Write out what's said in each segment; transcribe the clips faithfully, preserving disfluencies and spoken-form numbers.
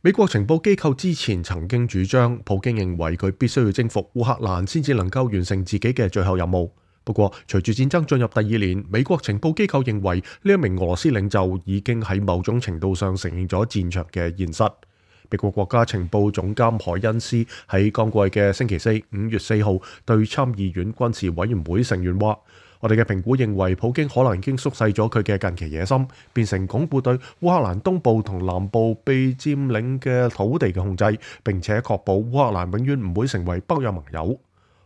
美國情報機構之前曾經主張，普京認為佢必須要征服烏克蘭先至能夠完成自己嘅最後任務。不過，隨住戰爭進入第二年，美國情報機構認為呢一名俄羅斯領袖已經喺某種程度上承認咗戰場嘅現實。美國國家情報總監海恩斯喺剛過去嘅星期四五月四號對參議院軍事委員會成員話：我哋嘅評估認為，普京可能已經縮細咗佢嘅近期野心，變成鞏固對烏克蘭東部同南部被佔領嘅土地嘅控制，並且確保烏克蘭永遠唔會成為北約盟友。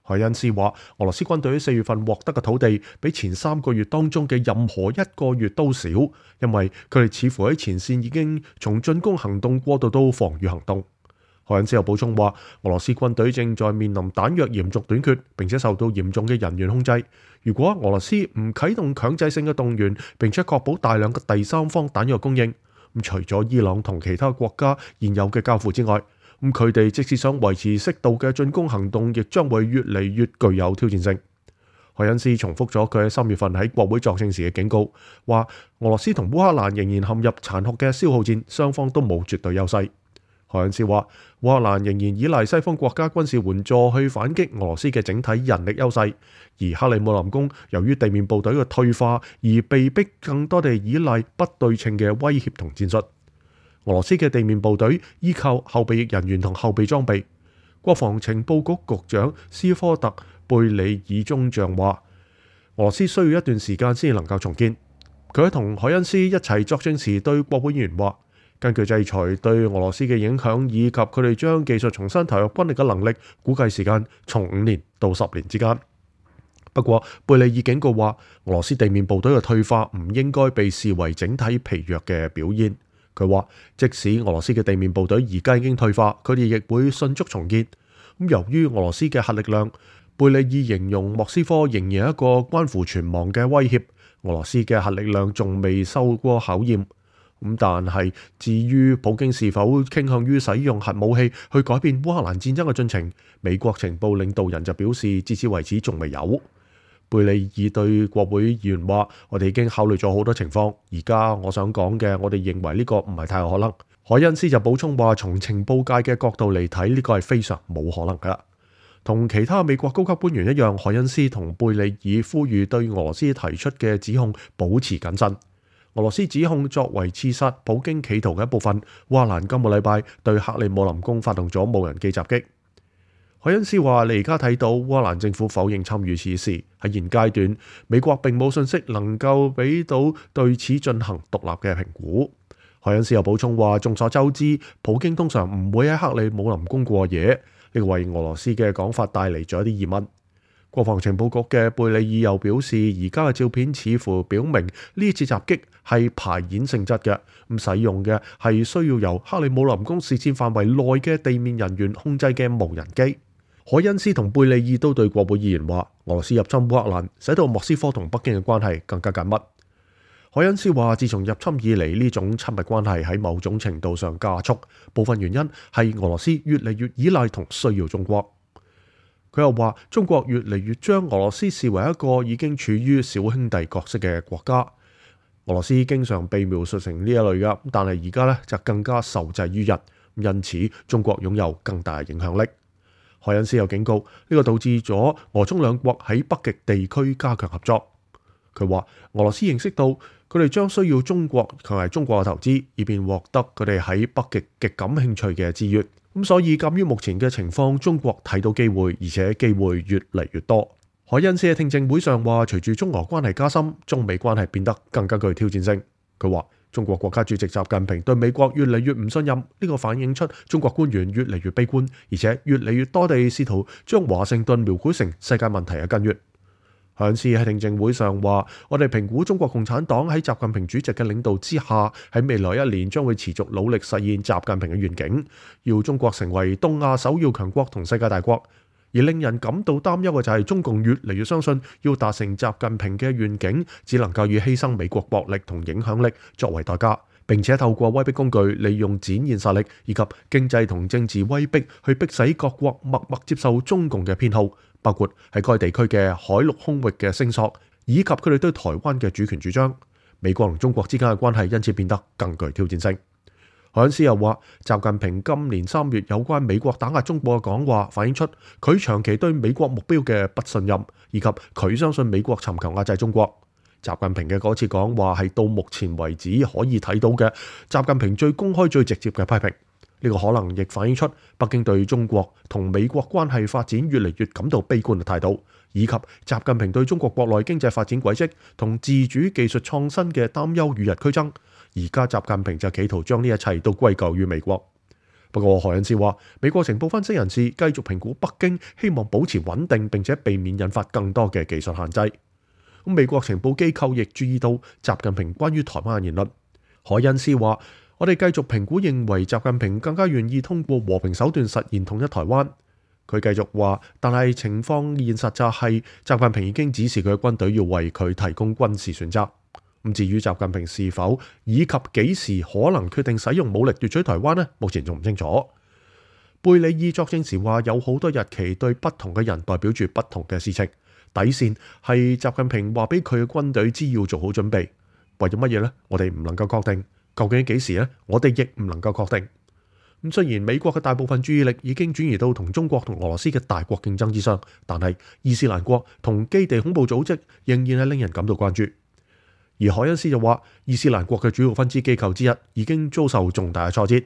海恩斯話：俄羅斯軍隊喺四月份獲得嘅土地，比前三個月當中嘅任何一個月都少，因為佢哋似乎喺前線已經從進攻行動過渡到防禦行動。海恩斯又補充話：俄羅斯軍隊正在面臨彈藥嚴重短缺，並且受到嚴重嘅人員控制。如果俄羅斯唔啟動強制性嘅動員，並且確保大量嘅第三方彈藥供應，咁除咗伊朗同其他國家現有嘅交付之外，咁佢哋即使想維持適度嘅進攻行動，亦將會越嚟越具有挑戰性。海恩斯重複咗佢喺三月份喺國會作證時嘅警告，話俄羅斯同烏克蘭仍然陷入殘酷嘅消耗戰，雙方都冇絕對優勢。海恩斯話，烏克蘭仍然依賴西方國家軍事援助去反擊俄羅斯嘅整體人力優勢，而克里姆林宮由於地面部隊嘅退化而被逼更多地依賴不對稱嘅威脅同戰術。俄羅斯嘅地面部隊依靠後備役人員同後備裝備。國防情報局局長斯科特貝里爾中將話，俄羅斯需要一段時間先能夠重建。佢喺同海恩斯一齊作證時對國會議員話，根據制裁對俄羅斯嘅影響以及佢哋將技術重新投入軍力嘅能力，估計時間從五年到十年之間。不過，貝里爾警告話，俄羅斯地面部隊嘅退化唔應該被視為整體疲弱嘅表現。佢話，即使俄羅斯嘅地面部隊而家已經退化，佢哋亦會迅速重建。咁由於俄羅斯嘅核力量，貝里爾形容莫斯科仍然係一個關乎存亡嘅威脅。俄羅斯嘅核力量仲未受過考驗。咁但係至於普京是否傾向於使用核武器去改變烏克蘭戰爭嘅進程，美國情報領導人就表示，至此為止仲未有。貝里爾對國會議員話，我哋已經考慮咗好多情況，而家我想講嘅，我哋認為呢個唔係太可能。海恩斯就補充話，從情報界嘅角度嚟睇，呢個係非常冇可能㗎。同其他美國高級官員一樣，海恩斯同貝里爾呼籲對俄羅斯提出嘅指控保持謹慎。俄羅斯指控作為刺殺普京企圖嘅一部分，烏克蘭今個禮拜對克里姆林宮發動咗無人機襲擊。海恩斯話：你而家睇到烏克蘭政府否認參與此事，喺現階段，美國並冇信息能夠俾到對此進行獨立嘅評估。海恩斯又補充話：眾所周知，普京通常唔會喺克里姆林宮過夜，呢個為俄羅斯嘅講法帶嚟咗一啲疑問。國防情報局嘅貝里爾又表示，而家嘅照片似乎表明呢次襲擊係排演性質嘅，咁使用嘅係需要由克里姆林宮視線範圍內嘅地面人員控制嘅無人機。海恩斯同貝里爾都對國會議員話，俄羅斯入侵烏克蘭使到莫斯科同北京嘅關係更加緊密。海恩斯話，自從入侵以嚟，呢種親密關係喺某種程度上加速，部分原因係俄羅斯越嚟越依賴同需要中國。佢又話，中國越嚟越將俄羅斯視為一個已經處於小兄弟角色嘅國家。俄羅斯經常被描述成呢一類嘅，但係而家咧就更加受制於人，因此中國擁有更大影響力。海恩斯又警告，呢、這個導致咗俄中兩國喺北極地區加強合作。佢話，俄羅斯認識到佢哋將需要中國同埋中國嘅投資，以便獲得佢哋喺北極極感興趣嘅資源。咁所以鑑於目前嘅情況，中國睇到機會，而且機會越嚟越多。海恩斯喺聽證會上話，隨住中俄關係加深，中美關係變得更加具挑戰性。佢話，中國國家主席習近平對美國越嚟越唔信任，呢、這個反映出中國官員越嚟越悲觀，而且越嚟越多地試圖將華盛頓描繪成世界問題嘅根源。海恩斯喺聽證會上話，我哋評估中國共產黨喺習近平主席嘅領導之下，喺未來一年將會持續努力實現習近平嘅願景，要中國成為東亞首要強國同世界大國。而令人感到擔憂嘅就係中共越嚟越相信，要達成習近平嘅願景，只能夠以犧牲美國國力同影響力作為代價，並且透過威逼工具，利用展現實力以及經濟同政治威逼，去迫使各國默默接受中共嘅偏好，包括喺該地區嘅海陸空域嘅聲索，以及佢哋對台灣嘅主權主張。美國同中國之間嘅關係因此變得更具挑戰性。海恩斯又話，習近平今年三月有關美國打壓中國嘅講話，反映出佢長期對美國目標嘅不信任，以及佢相信美國尋求壓制中國。習近平嘅嗰次講話係到目前為止可以睇到嘅習近平最公開、最直接嘅批評。呢個可能亦反映出北京對中國同美國關係發展越嚟越感到悲觀嘅態度，以及習近平對中國國內經濟發展軌跡同自主技術創新嘅擔憂與日俱增。而家習近平就企圖將呢一切都歸咎於美國。不過海恩斯話，美國情報分析人士繼續評估北京希望保持穩定，並且避免引發更多嘅技術限制。咁美國情報機構亦注意到習近平關於台灣嘅言論。海恩斯話，我哋繼續評估，認為習近平更加願意通過和平手段實現統一台灣。佢繼續話，但係情況現實就係習近平已經指示佢嘅軍隊要為佢提供軍事選擇。咁至於習近平是否以及幾時可能決定使用武力奪取台灣呢？目前仲唔清楚。貝里爾作證時話，有好多日期對不同嘅人代表住不同嘅事情。底線係習近平話俾佢嘅軍隊知要做好準備。為咗乜嘢呢？我哋唔能夠確定。究竟幾時呢？我哋亦唔能夠確定。咁雖然美國嘅大部分注意力已經轉移到同中國同俄羅斯嘅大國競爭之上，但係伊斯蘭國同基地恐怖組織仍然係令人感到關注。而海恩斯就話，伊斯蘭國嘅主要分支機構之一已經遭受重大嘅挫折。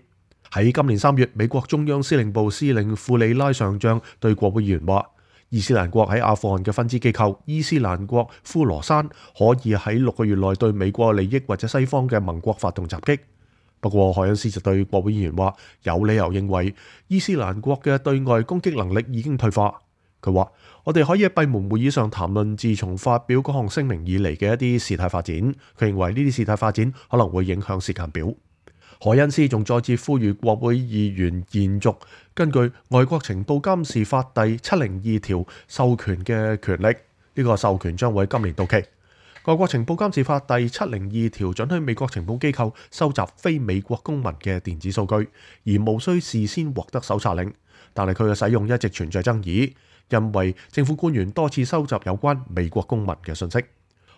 喺今年三月，美國中央司令部司令庫里拉上將對國會議員話，伊斯蘭國喺阿富汗嘅分支機構伊斯蘭國呼羅珊可以喺六個月內對美國利益或者西方嘅盟國發動襲擊。不過海恩斯就對國會議員話，有理由認為伊斯蘭國嘅對外攻擊能力已經退化。佢話，我哋可以喺閉門會議上談論自從發表嗰項聲明以嚟嘅一啲事態發展。佢認為呢啲事態發展可能會影響時間表。海恩斯仲再次呼籲國會議員延續根據外國情報監視法第七零二條授權嘅權力，呢個授權將會今年到期。外國情報監視法第七零二條准許美國情報機構收集非美國公民嘅電子數據，而無需事先獲得搜查令。但係佢嘅使用一直存在爭議，因為政府官員多次收集有關美國公民嘅信息。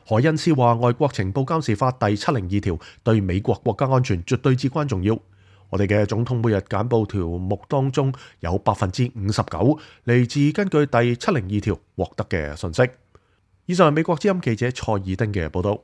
海恩斯話，外國情報監視法第七零二條對美國國家安全絕對至關重要。我哋嘅總統每日簡報條目當中有百分之五十九嚟自根據第七零二條獲得嘅信息。以上係美國之音記者蔡爾丁嘅報道。